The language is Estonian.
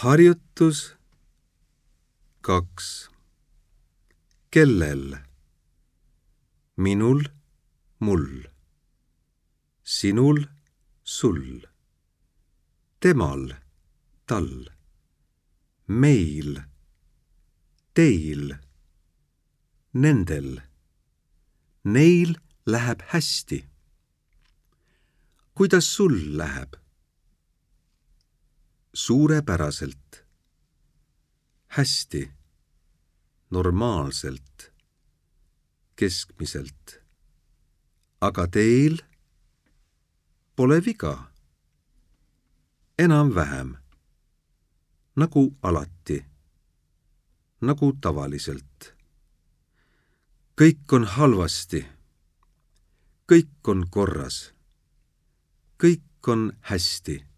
Harjutus 2. Kellel? Minul, mul. Sinul, sul. Temal, tal. Meil, teil. Nendel. Neil läheb hästi. Kuidas sul läheb? Suurepäraselt. Hästi. Normaalselt. Keskmiselt. Aga teil? Pole viga. Enam-vähem. Nagu alati. Nagu tavaliselt. Kõik on halvasti. Kõik on korras. Kõik on hästi.